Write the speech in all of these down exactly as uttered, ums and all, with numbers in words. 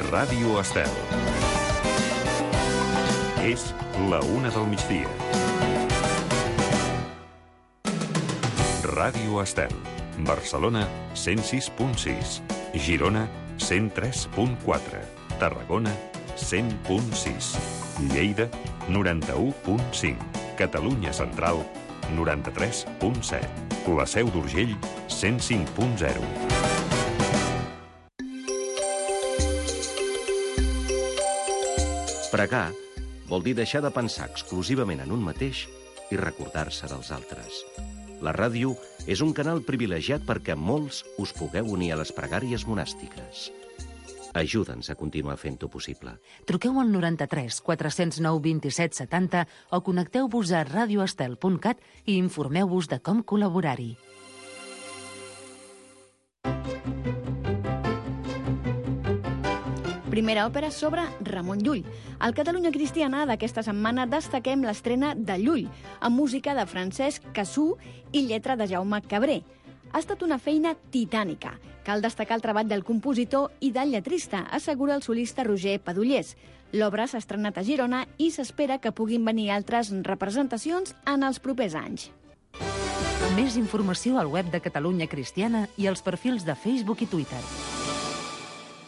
Ràdio Estel. És la una del migdia. Ràdio Estel. Barcelona, cent sis punt sis. Girona, cent tres punt quatre. Tarragona, cent punt sis. Lleida, noranta-u punt cinc. Catalunya Central, noranta-tres punt set. La Seu d'Urgell, cent cinc punt zero. Pregar vol dir deixar de pensar exclusivament en un mateix i recordar-se dels altres. La ràdio és un canal privilegiat perquè molts us pugueu unir a les pregàries monàstiques. Ajuda'ns a continuar fent-ho possible. Truqueu al noranta-tres quatre zero nou vint-i-set setanta o connecteu-vos a radioestel punt cat i informeu-vos de com col·laborar-hi. Primera òpera sobre Ramon Llull. Al Catalunya Cristiana d'aquesta setmana destaquem l'estrena de Llull, amb música de Francesc Cassú i lletra de Jaume Cabré. Ha estat una feina titànica. Cal destacar el treball del compositor i del lletrista, assegura el solista Roger Padullés. L'obra s'ha estrenat a Girona i s'espera que puguin venir altres representacions en els propers anys. Més informació al web de Catalunya Cristiana i als perfils de Facebook i Twitter.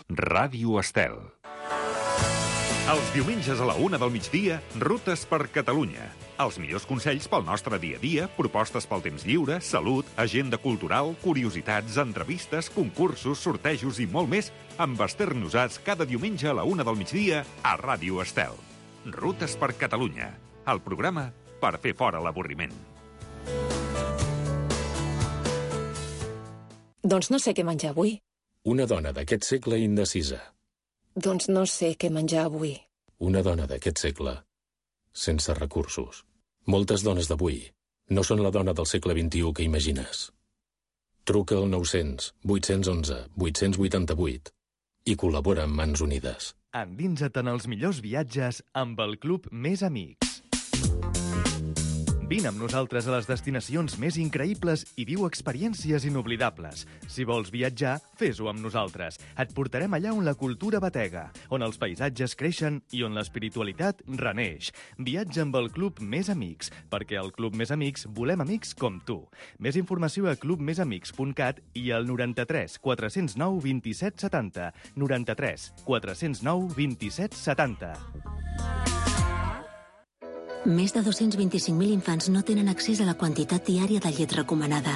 Ràdio Estel. Els diumenges a la una del migdia, Rutes per Catalunya. Els millors consells pel nostre dia a dia, propostes pel temps lliure, salut, agenda cultural, curiositats, entrevistes, concursos, sortejos i molt més amb Esther Nosats cada diumenge a la una del migdia a Ràdio Estel. Rutes per Catalunya, el programa per fer fora l'avorriment. Doncs no sé què menjar avui. Una dona d'aquest segle indecisa. Doncs no sé què menjar avui. Una dona d'aquest segle sense recursos. Moltes dones d'avui no són la dona del segle vint-i-u que imagines. Truca al nou-cents vuit-cents onze vuit-cents vuitanta-vuit i col·labora amb Mans Unides. Endinsa't en els millors viatges amb el Club Més Amics. Vine amb nosaltres a les destinacions més increïbles i viu experiències inoblidables. Si vols viatjar, fes-ho amb nosaltres. Et portarem allà on la cultura batega, on els paisatges creixen i on l'espiritualitat reneix. Viatja amb el Club Més Amics, perquè al Club Més Amics volem amics com tu. Més informació a club més amics punt cat i al noranta-tres quatre zero nou vint-i-set setanta. noranta-tres quatre zero nou vint-i-set setanta. Més de dos-cents vint-i-cinc mil infants no tenen accés a la quantitat diària de llet recomanada.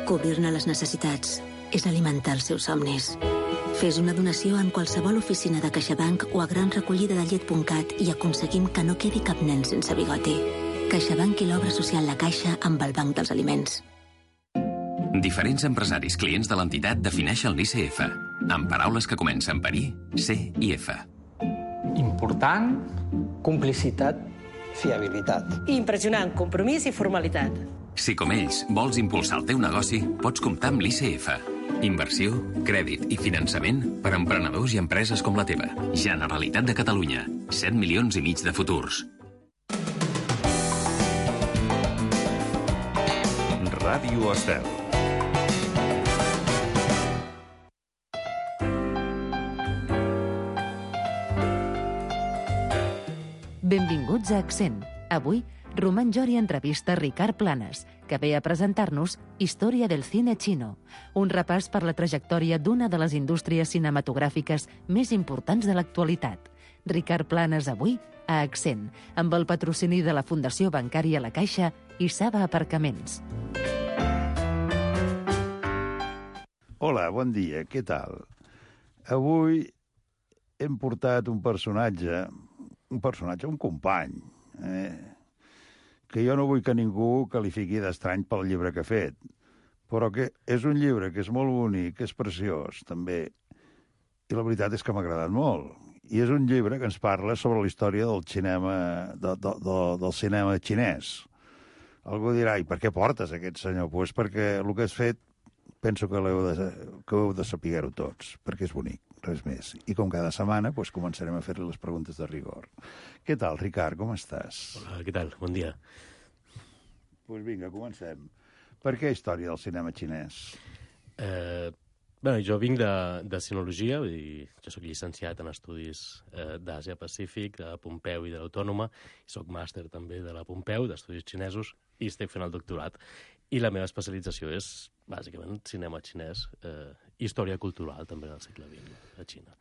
Cobrir-ne les necessitats és alimentar els seus somnis. Fes una donació en qualsevol oficina de CaixaBank o a gran recollida de llet punt cat i aconseguim que no quedi cap nen sense bigoti. CaixaBank i l'obra social La Caixa amb el Banc dels Aliments. Diferents empresaris clients de l'entitat defineixen l'I C F, amb paraules que comencen per I, C i F. Important, complicitat, fiabilitat. Impressionant, compromís i formalitat. Si com ells vols impulsar el teu negoci, pots comptar amb l'I C F. Inversió, crèdit i finançament per a emprenedors i empreses com la teva. Generalitat de Catalunya. set milions i mig de futurs. Ràdio Estel. Benvinguts a Accent. Avui, Román Jori entrevista Ricard Planas, que ve a presentar-nos Història del cine chino, un repàs per la trajectòria d'una de les indústries cinematogràfiques més importants de l'actualitat. Ricard Planas avui a Accent, amb el patrocini de la Fundació Bancària La Caixa i Saba Aparcaments. Hola, bon dia, què tal? Avui hem portat un personatge... un personatge, un company, eh? que jo no vull que ningú qualifiqui d'estrany pel llibre que ha fet, però que és un llibre que és molt bonic, que és preciós, també, i la veritat és que m'ha agradat molt. I és un llibre que ens parla sobre la història del cinema, de, de, de, del cinema xinès. Algú dirà, i per què portes aquest senyor? Doncs pues perquè el que has fet penso que, de, que heu de saber-ho tots, perquè és bonic, res més. I com cada setmana, doncs començarem a fer-li les preguntes de rigor. Què tal, Ricard, com estàs? Hola, què tal? Bon dia. Doncs vinga, comencem. Per què història del cinema xinès? Eh, Bé, jo vinc de, de sinologia, vull dir, jo soc llicenciat en estudis eh, d'Àsia-Pacífic, de Pompeu i de l'Autònoma, i soc màster també de la Pompeu, d'estudis xinesos, i estic fent el doctorat. I la meva especialització és, bàsicament, cinema xinès, eh, història cultural, també del segle vint, a Xina.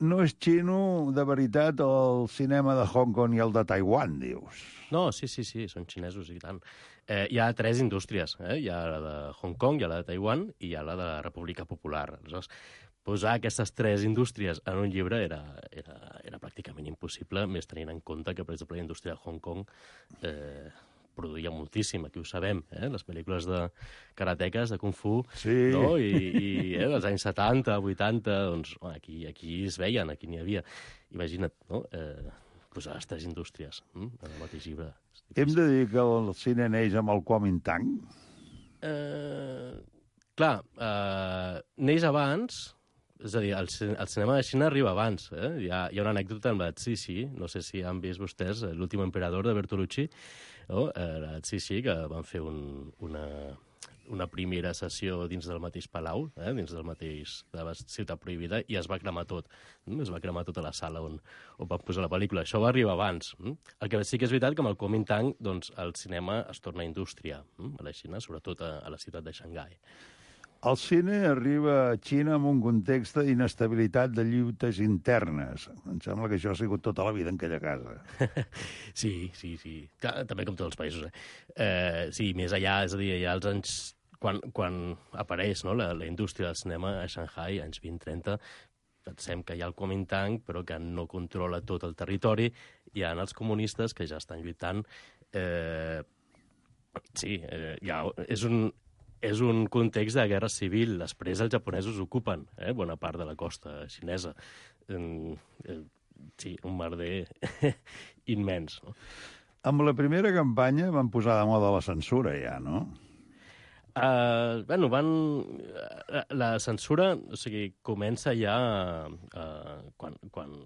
No és xino, de veritat, el cinema de Hong Kong i el de Taiwan, dius? No, sí, sí, sí, són xinesos i tant. Eh, hi ha tres indústries, eh? Hi ha la de Hong Kong, hi ha la de Taiwan i hi ha la de la República Popular. Aleshores, posar aquestes tres indústries en un llibre era, era, era pràcticament impossible, més tenint en compte que, per exemple, la indústria de Hong Kong eh, produïa moltíssim, aquí ho sabem, eh? Les pel·lícules de karateques, de Kung Fu, sí. No? I, i eh, els anys setanta, vuitanta, doncs aquí, aquí es veien, aquí n'hi havia. Imagina't, no?, eh, posar les tres indústries hm? en el mateix llibre. Hem de dir que el cine neix amb el Kuomintang? Eh, clar, eh, neix abans, és a dir, el, el cinema de Xina arriba abans. Eh? Hi, ha, hi ha una anècdota amb la Cixi, no sé si han vist vostès, l'últim emperador de Bertolucci, no? eh, la Cixi, que van fer un, una, una primera sessió dins del mateix palau, eh? dins del mateix de la Ciutat Prohibida, i es va cremar tot. Mm? Es va cremar tota la sala on, on van posar la pel·lícula. Això va arribar abans. Mm? El que sí que és veritat que amb el Kuomintang doncs, el cinema es torna indústria mm? a la Xina, sobretot a, a la ciutat de Xangai. El cine arriba a Xina en un context d'inestabilitat de lluites internes. Em sembla que això ha sigut tota la vida en aquella casa. Sí, sí, sí. Clar, també com tots els països. Eh? Eh, sí, més allà, és a dir, hi ha els anys... Quan, quan apareix no, la, la indústria del cinema a Shanghai, anys vint trenta, pensem que hi ha el Kuomintang, però que no controla tot el territori. Hi ha els comunistes que ja estan lluitant. Eh, sí, eh, ja, és un... És un context de guerra civil. Després els japonesos ocupen eh, bona part de la costa xinesa. Eh, eh, sí, un merder immens. No? Amb la primera campanya van posar de moda la censura, ja, no? Uh, bueno, van... La, la censura, o sigui, comença ja uh, quan... quan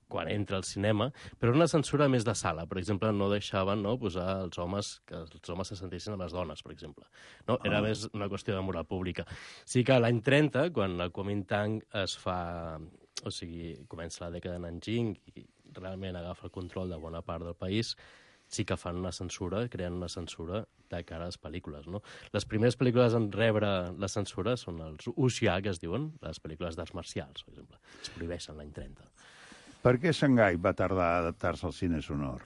quan entra al cinema, però una censura més de sala. Per exemple, no deixaven no, posar els homes, que els homes se sentissin a les dones, per exemple. No? Era ah. més una qüestió de moral pública. Sí que l'any trenta, quan el Kuomintang es fa... O sigui, comença la dècada de Nanjing i realment agafa el control de bona part del país, sí que fan una censura, creen una censura de cara a les pel·lícules. No? Les primeres pel·lícules en rebre la censura són els wuxia, que es diuen, les pel·lícules d'arts marcials, per exemple. Es prohibeixen l'any trenta. Per què Xangai va tardar a adaptar-se al cine sonor?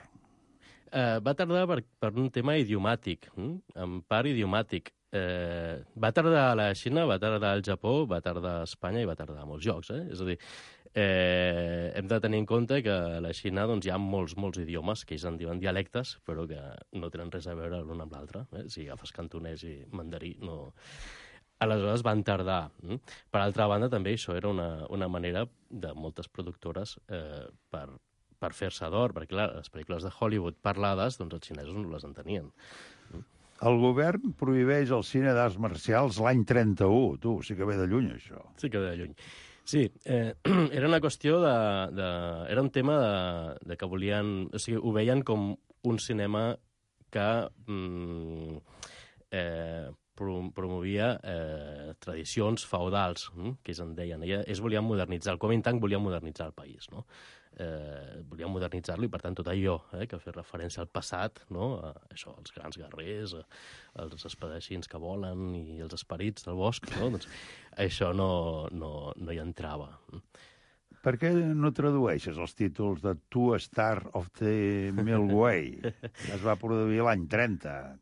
Uh, va tardar per, per un tema idiomàtic, hm? en part idiomàtic. Uh, va tardar a la Xina, va tardar al Japó, va tardar a Espanya i va tardar a molts llocs. Eh? És a dir, eh, hem de tenir en compte que a la Xina doncs, hi ha molts, molts idiomes que ells en diuen dialectes, però que no tenen res a veure l'un amb l'altre. Eh? Si agafes cantonès i mandarí, no... Aleshores van tardar. Per altra banda, també això era una, una manera de moltes productores eh, per, per fer-se d'or, perquè clar, les pel·lícules de Hollywood parlades, doncs els xinesos no les entenien. El govern prohibeix el cine d'arts marcials l'any trenta-u. Tu, sí que ve de lluny, això. Sí que ve de lluny. Sí, eh, era una qüestió de, de... Era un tema de, de que volien... O sigui, ho veien com un cinema que... Mm, eh, promovia eh, tradicions feudals, hm? que ells en deien. Ella, ells volien modernitzar, el Kuomintang volia modernitzar el país, no? Eh, volien modernitzar-lo i, per tant, tot allò eh, que fa referència al passat, no? A, això, els grans guerrers, a, els espadachins que volen i els esperits del bosc, no? Doncs això no, no, no hi entrava. Per què no tradueixes els títols de Two Star of the Milky Way? Es va produir l'any trenta.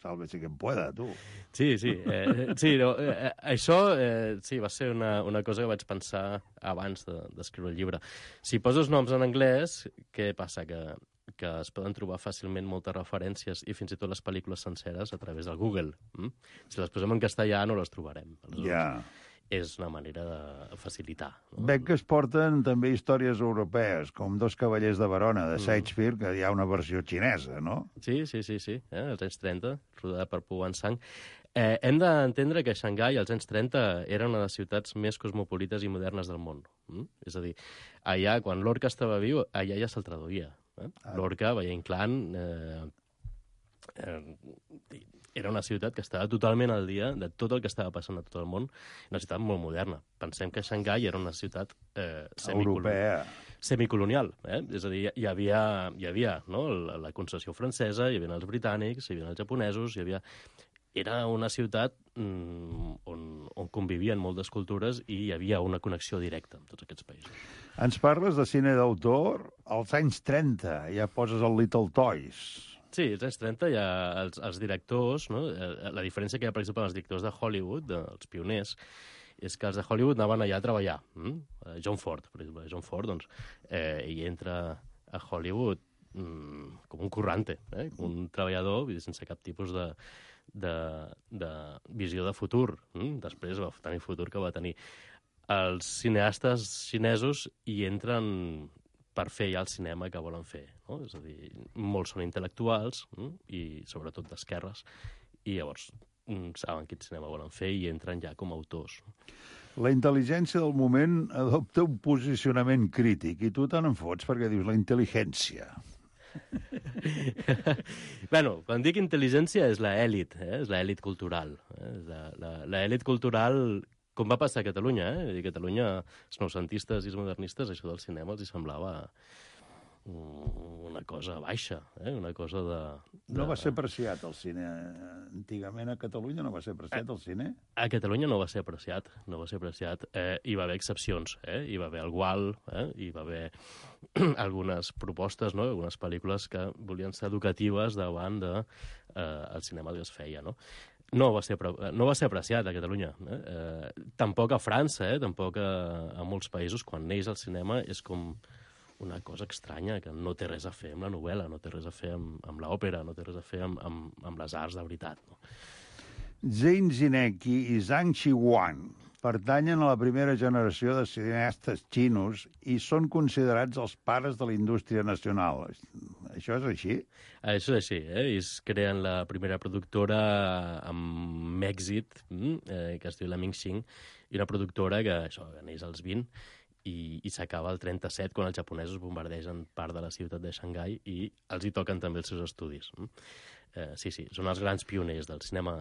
Sálvese quien pueda, tu. Sí, sí. Eh, sí no, eh, això eh, sí, va ser una, una cosa que vaig pensar abans d'escriure de, el llibre. Si poses noms en anglès, què passa? Que, que es poden trobar fàcilment moltes referències i fins i tot les pel·lícules senceres a través del Google. Mm? Si les posem en castellà no les trobarem. Aleshores, ja. És una manera de facilitar. No? Veig que es porten també històries europees, com Dos cavallers de Verona, de Shakespeare, que hi ha una versió xinesa, no? Sí, sí, sí, sí. Eh? als anys trenta, rodada per Pu Wanzang. Eh, hem d'entendre que Xangai, als anys trenta, era una de les ciutats més cosmopolites i modernes del món. Mm? És a dir, allà, quan Lorca estava viu, allà ja se'l traduïa. Eh? Ah. Lorca, Valle Inclán... Eh, eh, era una ciutat que estava totalment al dia de tot el que estava passant a tot el món, una ciutat molt moderna. Pensem que Xangai era una ciutat eh, europea, semicolonial, eh? És a dir, hi havia, hi havia no? la, la concessió francesa, hi havia els britànics, hi havia els japonesos, hi havia... Era una ciutat mm, on, on convivien moltes cultures i hi havia una connexió directa amb tots aquests països. Ens parles de cine d'autor als anys trenta, ja poses el Little Toys. Sí, als anys trenta hi ha els, els directors, no? La diferència que hi ha, per exemple, els directors de Hollywood, dels pioners, és que els de Hollywood anaven allà a treballar. Mm? John Ford, per exemple. John Ford, doncs, eh, ell entra a Hollywood mm, com un currante, eh? Com un treballador sense cap tipus de, de, de visió de futur. Mm? Després va tenir futur que va tenir. Els cineastes xinesos hi entren per fer ja el cinema que volen fer, no? És a dir, molts són intel·lectuals mm? i sobretot d'esquerres, i llavors mm, saben quin cinema volen fer i entren ja com a autors. La intel·ligència del moment adopta un posicionament crític i tu te n'en fots perquè dius la intel·ligència. Bueno, quan dic intel·ligència és l'elit, eh? És l'elit cultural. Eh? L'elit cultural, com va passar a Catalunya, eh? A Catalunya, els noucentistes i els modernistes, això del cinema els hi semblava una cosa baixa, eh? Una cosa de, de... No va ser apreciat el cine. Antigament a Catalunya no va ser apreciat el cine? A Catalunya no va ser apreciat, no va ser apreciat. Eh, hi va haver excepcions, eh? Hi va haver el Gual, eh? Hi va haver algunes propostes, no? Algunes pel·lícules que volien ser educatives davant del de, eh, cinema que es feia, no? No va ser, no va ser apreciat a Catalunya. Eh? Eh, tampoc a França, eh? Tampoc a, a molts països, quan neix el cinema, és com una cosa estranya, que no té res a fer amb la novel·la, no té res a fer amb, amb l'òpera, no té res a fer amb, amb, amb les arts de veritat. No? Zhang Zinecki i Zhang Xihuan pertanyen a la primera generació de cineastes xinos i són considerats els pares de la indústria nacional. Això és així? Això és així, eh? Ells creen la primera productora amb èxit, eh, que es diu la Mingxing, i una productora que, això, que neix als vint i, i s'acaba el trenta-set, quan els japonesos bombardegen part de la ciutat de Xangai i els hi toquen també els seus estudis. Eh, sí, sí, són els grans pioners del cinema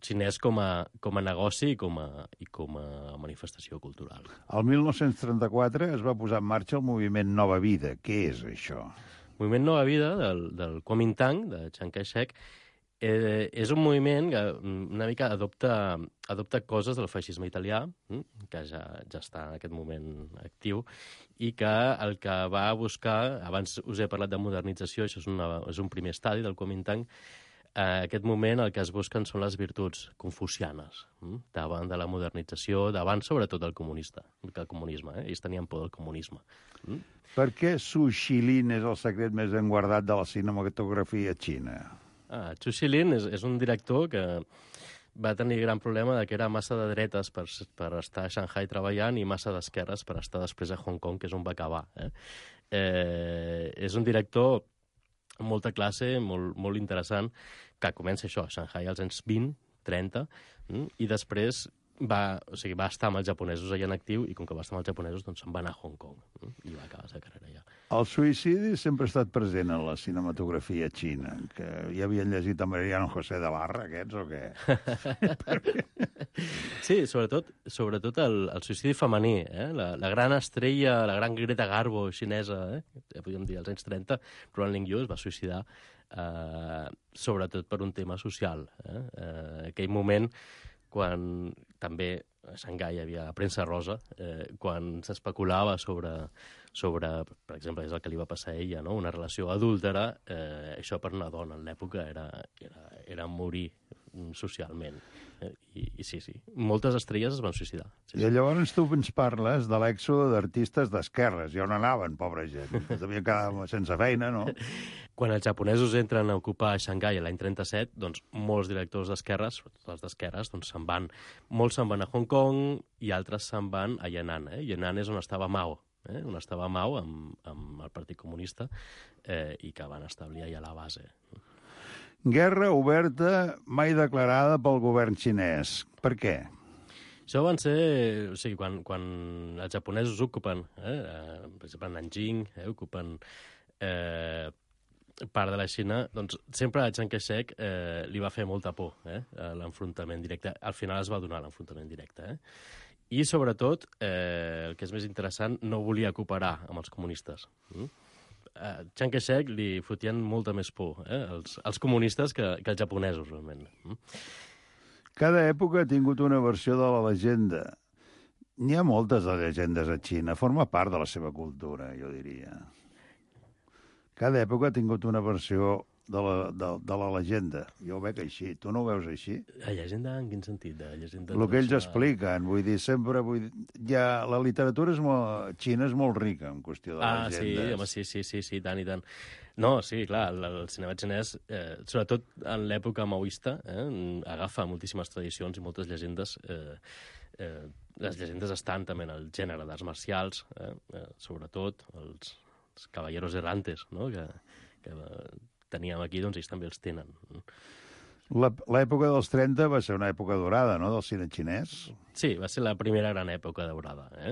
xinès com a, com a negoci i com a, i com a manifestació cultural. El mil nou-cents trenta-quatre es va posar en marxa el moviment Nova Vida. Què és això? El moviment Nova Vida del, del Kuomintang, de Chiang Kai-shek, eh, és un moviment que una mica adopta, adopta coses del feixisme italià, que ja, ja està en aquest moment actiu, i que el que va buscar, abans us he parlat de modernització, això és, una, és un primer estadi del Kuomintang. En aquest moment el que es busquen són les virtuts confucianes, hm? davant de la modernització, davant sobretot del comunista, el comunisme. Eh? Ells tenien por del comunisme. Hm? Per què Zhu Xilin és el secret més ben guardat de la cinematografia xina? Ah, Zhu Xilin és, és un director que va tenir gran problema de que era massa de dretes per, per estar a Shanghai treballant i massa d'esquerres per estar després a Hong Kong, que és on va acabar. Eh? Eh, és un director molta classe, molt, molt interessant, que comença això, a Shanghai als anys vint, trenta, i després va, o sigui, va estar amb els japonesos allà en actiu, i com que va estar amb els japonesos, doncs se'n va anar a Hong Kong, i va acabar la seva carrera allà. El suïcidi sempre ha estat present en la cinematografia xina, que ja havien llegit a Mariano José de Barra, aquests, o què? Sí, sobretot, sobretot el, el suïcidi femení, eh? la, la gran estrella, la gran Greta Garbo xinesa, eh? ja podríem dir, als anys trenta, Ron Ling-yu es va suïcidar eh, sobretot per un tema social. Eh? Eh, aquell moment quan també a Xangai hi havia la premsa rosa, eh, quan s'especulava sobre, sobre, per exemple, és el que li va passar a ella, no? Una relació adúltera, eh, això per una dona en l'època era, era, era morir socialment. Eh, i, I sí, sí, moltes estrelles es van suïcidar. Sí, I llavors tu ens parles de l'èxode d'artistes d'esquerres. I on anaven, pobra gent? Devien quedar sense feina, no? Quan els japonesos entren a ocupar Xangai l'any trenta-set, doncs molts directors d'esquerres, sobretot els d'esquerres, doncs se'n van. Molts se'n van a Hong Kong i altres se'n van a Yan'an. Eh? Yan'an és on estava Mao, eh? on estava Mao amb, amb el Partit Comunista eh, i que van establir allà la base. Guerra oberta mai declarada pel govern xinès. Per què? Això van ser... O sigui, quan, quan els japonesos ocupen, eh, per exemple, Nanjing, eh, ocupen... Eh, part de la Xina, doncs sempre a Chiang Kai-shek eh, li va fer molta por eh, l'enfrontament directe. Al final es va donar l'enfrontament directe. Eh? I, sobretot, eh, el que és més interessant, no volia cooperar amb els comunistes. Mm? A Chiang Kai-shek li fotien molta més por eh, els, els comunistes que, que els japonesos, realment. Mm? Cada època ha tingut una versió de la llegenda. N'hi ha moltes de llegendes a Xina. Forma part de la seva cultura, jo diria. Cada època ha tingut una versió de la, de, de la llegenda. Jo ho veig així. Tu no ho veus així? La llegenda en quin sentit? De llegenda el que ells expliquen. Vull dir, sempre... Vull dir, ja, la literatura és molt, xina és molt rica en qüestió de ah, llegendes. Ah, sí, home, sí, sí, sí, sí, tant i tant. No, sí, clar, el, el cinema xinès, eh, sobretot en l'època maoista, eh, agafa moltíssimes tradicions i moltes llegendes. Eh, eh, les llegendes estan també en el gènere d'arts marcials, eh, eh, sobretot els, els caballeros errantes, no?, que, que teníem aquí, doncs ells també els tenen. L'època dels trenta va ser una època dorada, no?, del cine xinès. Sí, va ser la primera gran època daurada. Eh?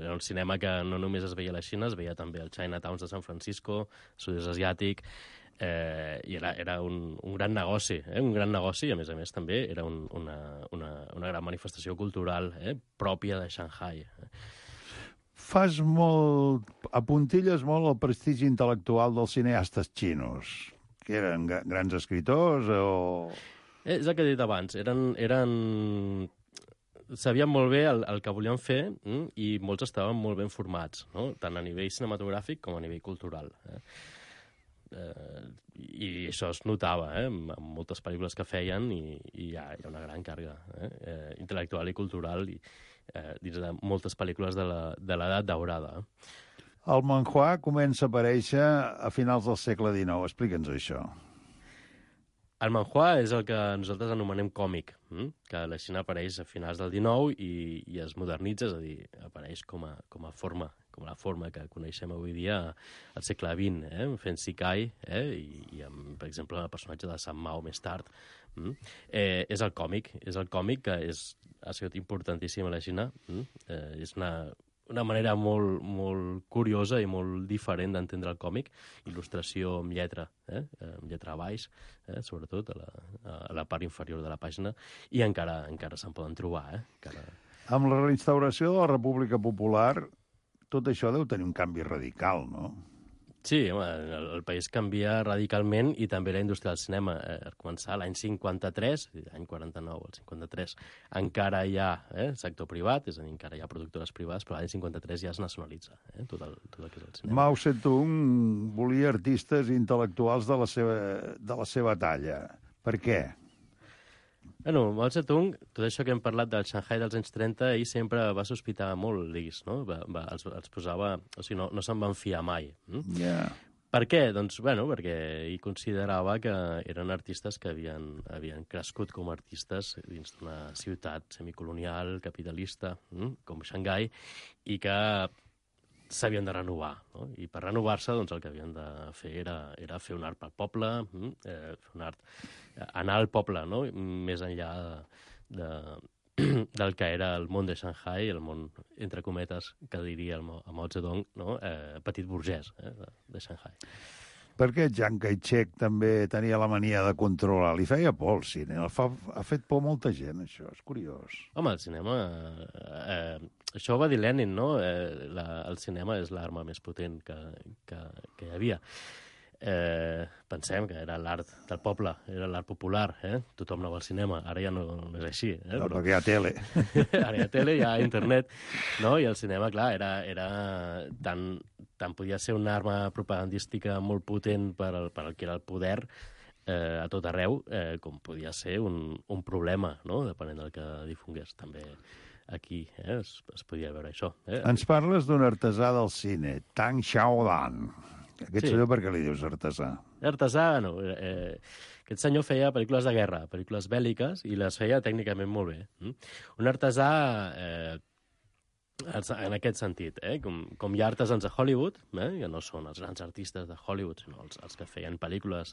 Era un cinema que no només es veia a la Xina, es veia també al Chinatown de San Francisco, sud-est asiàtic, eh, i era, era un, un gran negoci, eh? un gran negoci, i a més a més també era un, una, una, una gran manifestació cultural eh? pròpia de Shanghai. Fas molt... apuntilles molt el prestigi intel·lectual dels cineastes xinos, que eren grans escriptors o... Eh, és el que he dit abans, eren... eren... sabien molt bé el, el que volien fer mm? i molts estaven molt ben formats, no? Tant a nivell cinematogràfic com a nivell cultural. Eh? Eh, I això es notava eh? en moltes pel·lícules que feien i, i hi, ha, hi ha una gran càrrega eh? Eh, intel·lectual i cultural i, eh, dins de moltes pel·lícules de l'edat daurada. El manhua comença a aparèixer a finals del segle dinou. Explica'ns això. El manhua és el que nosaltres anomenem còmic, hm? que a la Xina apareix a finals del dinou i, i es modernitza, és a dir, apareix com a, com a forma, com la forma que coneixem avui dia al segle vint, eh? fent Sikai, eh? I, i amb, per exemple, el personatge de San Mao més tard. Hm? Eh, és el còmic, és el còmic que és, ha sigut importantíssim a la Xina. Hm? Eh, és una... una manera molt, molt curiosa i molt diferent d'entendre el còmic, il·lustració amb lletra, eh? amb lletra a baix, eh? sobretot a la, a la part inferior de la pàgina, i encara encara se'n poden trobar. Eh? Encara... Amb la reinstauració de la República Popular, tot això deu tenir un canvi radical, no? Sí, home, el, el país canvia radicalment i també la indústria del cinema. Eh, a començar l'any cinquanta-tres, l'any quaranta-nou, el cinquanta-tres, encara hi ha eh, sector privat, és a dir, encara hi ha productores privades, però l'any cinquanta-tres ja es nacionalitza eh, tot, el, tot el que és el cinema. Mao Zedong volia artistes intel·lectuals de la seva, de la seva talla. Per què? Bueno, Mao Zedong, tot això que hem parlat del Shanghai dels anys trenta, ell sempre va sospitar molt l'I S, no? Va, va, els, els posava... O sigui, no, no se'n van fiar mai. Mm? Yeah. Per què? Doncs, bueno, perquè ell considerava que eren artistes que havien, havien crescut com a artistes dins d'una ciutat semicolonial, capitalista, mm? com Xangai, i que s'havien de renovar, no? I per renovar-se, doncs, el que havien de fer era, era fer un art pel poble, eh, fer un art, anar al poble, no? Més enllà de, de, del que era el món de Shanghai, el món, entre cometes, que diria el Mao Zedong, no? eh, petit burgès eh, de, de Shanghai. Per què Chiang Kai-shek també tenia la mania de controlar? Li feia por al cine. El fa, ha fet por molta gent, això. És curiós. Home, el cinema... Eh, això ho va dir Lenin, no? Eh, la, el cinema és l'arma més potent que, que, que hi havia. Eh, pensem que era l'art del poble, era l'art popular, eh? Tothom anava al cinema. Ara ja no, no és així. Eh? No, però... perquè hi ha tele. Ara hi ha tele, hi ha internet, no? I el cinema, clar, era, era tan... tant podia ser una arma propagandística molt potent per al, per al que era el poder eh, a tot arreu, eh, com podia ser un, un problema, no?, depenent del que difongués. També aquí eh, es, es podia veure això. Eh? Ens parles d'un artesà del cine, Tang Xiaodan. Aquest Sí. senyor, per què li dius artesà? Artesà, no. Eh, aquest senyor feia pel·lícules de guerra, pel·lícules bèl·liques, i les feia tècnicament molt bé. Mm? Un artesà... Eh, en aquest sentit, eh? com, com hi ha artesans a Hollywood, eh? que no són els grans artistes de Hollywood, sinó els, els que feien pel·lícules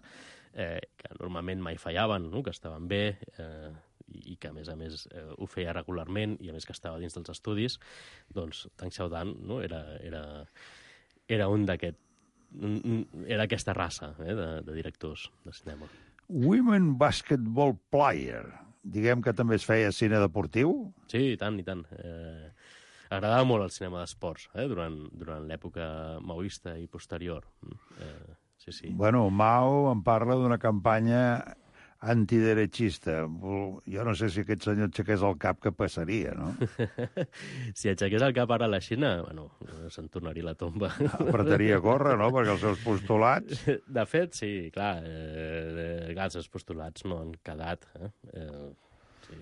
eh, que normalment mai fallaven, no? que estaven bé, eh, i que, a més a més, eh, ho feia regularment, i a més que estava dins dels estudis, doncs Tang Xiaodan no? era, era, era un d'aquest era aquesta raça eh, de, de directors de cinema. Women Basketball Player. Diguem que també es feia cine deportiu? Sí, i tant, i tant. Eh, agradava molt el cinema d'esports eh, durant, durant l'època maoista i posterior. Eh, sí, sí. Bueno, Mao em parla d'una campanya antiderechista. Jo no sé si aquest senyor aixequés el cap, que passaria, no? Si aixequés el cap ara a la Xina, bueno, se'n tornaria la tomba. Apretaria a córrer, no?, perquè els seus postulats... De fet, sí, clar, eh, clar, els seus postulats no han quedat. Eh? Eh, sí.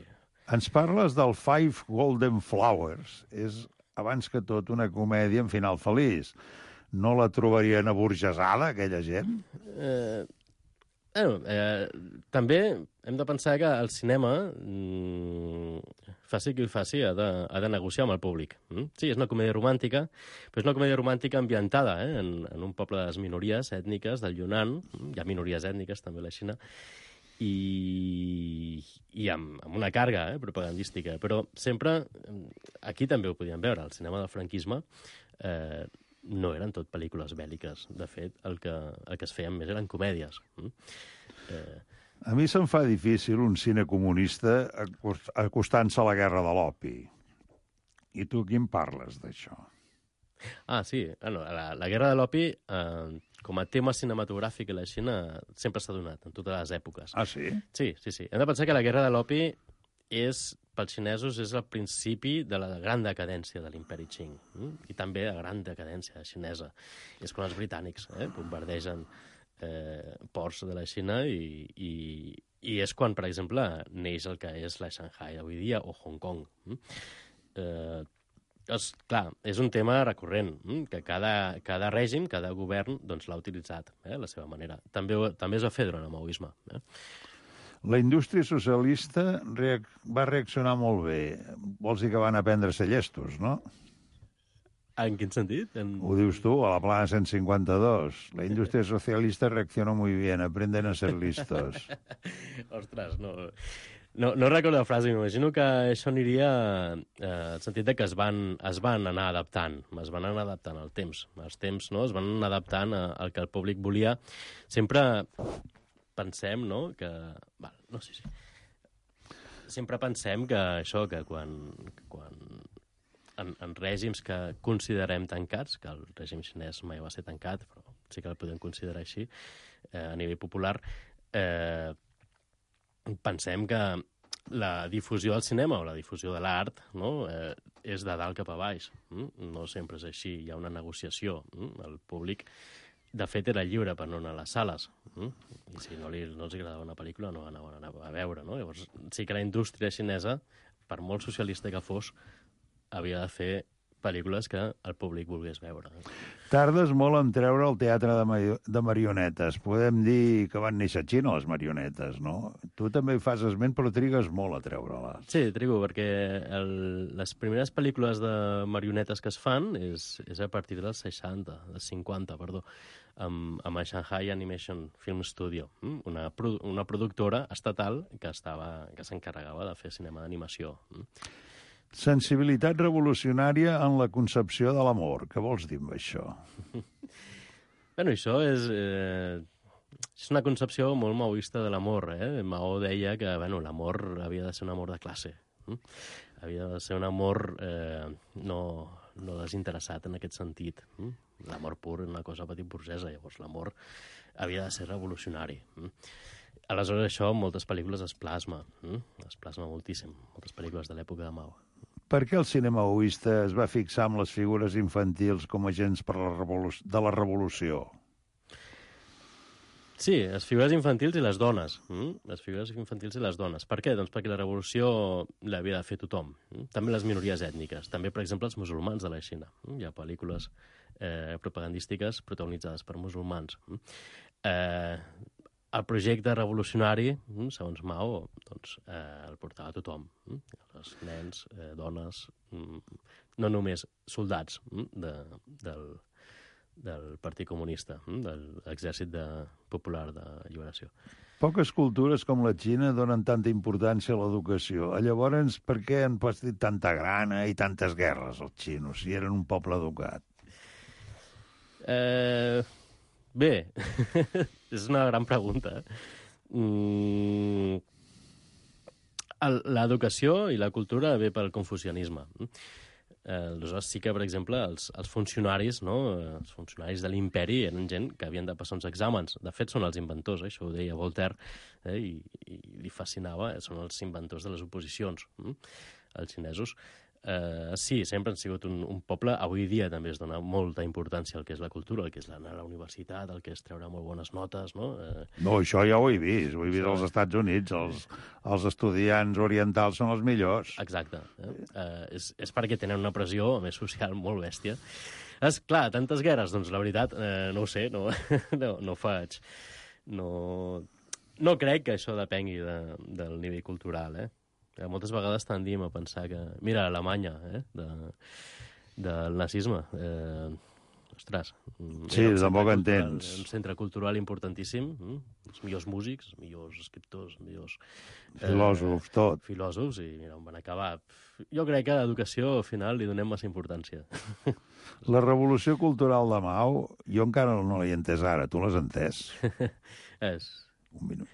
Ens parles del Five Golden Flowers. És, abans que tot, una comèdia amb final feliç. No la trobarien aburgesada, aquella gent? Eh... Bueno, eh, també hem de pensar que el cinema, mm, faci qui ho faci, ha de, ha de negociar amb el públic. Mm? Sí, és una comèdia romàntica, però és una comèdia romàntica ambientada eh, en, en un poble de les minories ètniques del Yunnan. Hi ha minories ètniques també a la Xina, i, i amb, amb una càrrega eh, propagandística. Però sempre, aquí també ho podíem veure, el cinema del franquisme, eh, no eren tot pel·lícules bèl·liques. De fet, el que, el que es feien més eren comèdies. Eh... A mi se'm fa difícil un cine comunista acostant-se a la guerra de l'opi. I tu qui em parles d'això? Ah, sí. Bueno, la, la guerra de l'opi, eh, com a tema cinematogràfic a la Xina, sempre s'ha donat, en totes les èpoques. Ah, sí? Sí, sí, sí. Hem de pensar que la guerra de l'opi és, pels xinesos, és el principi de la gran decadència de l'imperi Qing, mm? I també la gran decadència xinesa. És quan els britànics eh, bombardegen eh, ports de la Xina i, i, i és quan, per exemple, neix el que és la Shanghai avui dia o Hong Kong. Mm? Eh, és, clar, és un tema recurrent, mm? que cada, cada règim, cada govern, doncs, l'ha utilitzat eh, a la seva manera. També, també es va fer durant el maoisme. Eh? La indústria socialista reac va reaccionar molt bé. Vols dir que van aprendre a ser llestos, no? En quin sentit? En... Ho dius tu, a la plana cent cinquanta-dos. La indústria socialista reacciona muy bien, aprenden a ser listos. Ostres, no... No, no recordo la frase, m'imagino que això aniria eh, en sentit de que es van, es van anar adaptant, es van anar adaptant al temps. Els temps no? Es van anar adaptant a, al que el públic volia. Sempre pensem, no?, que... Val, no sé si... Sempre pensem que això, que quan... quan en, en règims que considerem tancats, que el règim xinès mai va ser tancat, però sí que el podem considerar així, eh, a nivell popular, eh, pensem que la difusió del cinema o la difusió de l'art no? eh, és de dalt cap a baix. Mm? No sempre és així, hi ha una negociació. Mm? El públic, de fet, era lliure per no anar a les sales. Mm? I si no, li, no els agradava una pel·lícula, no anaven a veure. No? Llavors, sí que la indústria xinesa, per molt socialista que fos, havia de fer pel·lícules que el públic volgués veure. Tardes molt en treure el teatre de, ma de marionetes. Podem dir que van néixer a Xina, les marionetes, no? Tu també hi fas esment, però trigues molt a treure-les. Sí, trigo, perquè el, les primeres pel·lícules de marionetes que es fan és, és a partir dels seixanta, dels cinquanta, perdó, amb, amb el Shanghai Animation Film Studio, una, una productora estatal que estava que s'encarregava de fer cinema d'animació. Sensibilitat revolucionària en la concepció de l'amor. Què vols dir amb això? Bueno, això és, eh, és una concepció molt maoista de l'amor. Eh? Mao deia que bueno, l'amor havia de ser un amor de classe. Eh? Havia de ser un amor eh, no, no desinteressat en aquest sentit. Eh? L'amor pur és una cosa petit burgesa, llavors l'amor havia de ser revolucionari. Eh? Aleshores, això en moltes pel·lícules es plasma. Eh? Es plasma moltíssim, moltes pel·lícules de l'època de Mao. Per què el cinema maoista es va fixar amb les figures infantils com a agents per la de la revolució? Sí, les figures infantils i les dones. Mm? Les figures infantils i les dones. Per què? Doncs perquè la revolució l'havia de fer tothom. Mm? També les minories ètniques. També, per exemple, els musulmans de la Xina. Mm? Hi ha pel·lícules eh, propagandístiques protagonitzades per musulmans. Mm? Eh, el projecte revolucionari, mm, segons Mao, doncs, eh, el portava tothom. Mm? Els nens, eh, dones, mm, no només soldats mm, de, del, del Partit Comunista, mm, de l'Exèrcit de, Popular de Lliberació. Poques cultures com la Xina donen tanta importància a l'educació. Llavors, per què han patit tanta grana i tantes guerres els xinos, si eren un poble educat? Eh... Bé, és una gran pregunta. Mm... L'educació i la cultura ve pel confucianisme. Aleshores, sí que, per exemple, els, els funcionaris, no? Els funcionaris de l'imperi eren gent que havien de passar uns exàmens. De fet, són els inventors, eh? Això ho deia Voltaire, eh? I, i li fascinava, eh? Són els inventors de les oposicions, eh? Els xinesos. Uh, sí, sempre han sigut un, un poble. Avui dia també es dona molta importància al que és la cultura, al que és anar a la universitat, al que és treure molt bones notes, no? Uh... No, això ja ho he vist. Ho he vist als Estats Units. Els, els estudiants orientals són els millors. Exacte. Eh? Uh, és, és perquè tenen una pressió més social molt bèstia. És clar, tantes guerres, doncs la veritat, uh, no ho sé, no, no, no faig... No, no crec que això depengui de, del nivell cultural, eh? Moltes vegades tendim a pensar que... Mira, Alemanya, eh? De, del nazisme. Eh, ostres. Sí, tampoc en tens. Un centre cultural importantíssim. Mm? Els millors músics, els millors escriptors, els millors... Filòsofs, eh, tot. Filòsofs, i mira, on van acabar. Jo crec que a l'educació, al final, li donem massa importància. La revolució cultural de Mao, jo encara no l'he entès ara. Tu l'has entès? És... Un minut.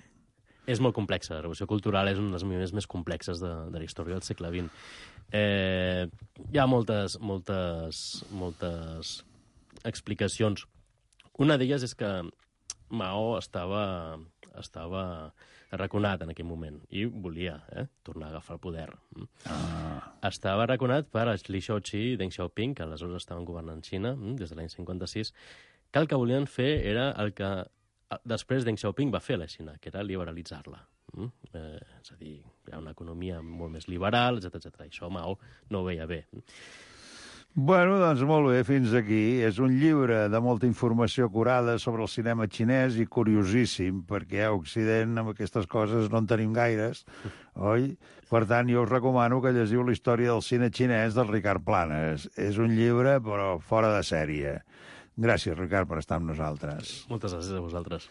És molt complexa. La revolució cultural és un dels moviments més complexes de, de la història del segle vint. Eh, hi ha moltes, moltes, moltes explicacions. Una d'elles és que Mao estava, estava arraconat en aquell moment i volia eh, tornar a agafar el poder. Ah. Estava arraconat per Li Shaoqi i Deng Xiaoping, que aleshores estaven governant Xina des de l'any cinquanta-sis, que el que volien fer era el que després Deng Xiaoping va fer a la Xina, que era liberalitzar-la. Mm? Eh, és a dir, hi ha una economia molt més liberal, etcètera etcètera. Això Mao no ho veia bé. Bueno, doncs molt bé, fins aquí. És un llibre de molta informació acurada sobre el cinema xinès i curiosíssim, perquè a Occident amb aquestes coses no en tenim gaires, oi? Per tant, jo us recomano que llegiu la història del cine xinès del Ricard Planes. És un llibre, però fora de sèrie. Gràcies, Ricard, per estar amb nosaltres. Moltes gràcies a vosaltres.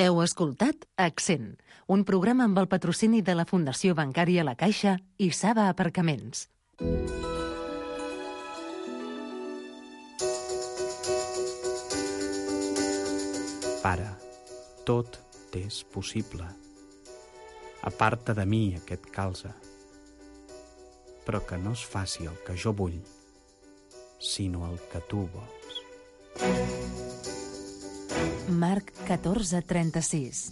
Heu escoltat Accent, un programa amb el patrocini de la Fundació Bancària La Caixa i Saba Aparcaments. Pare, tot t'és possible. Aparta de mi aquest calze, però que no es faci el que jo vull, sinó el que tu vols. Marc catorze trenta-sis.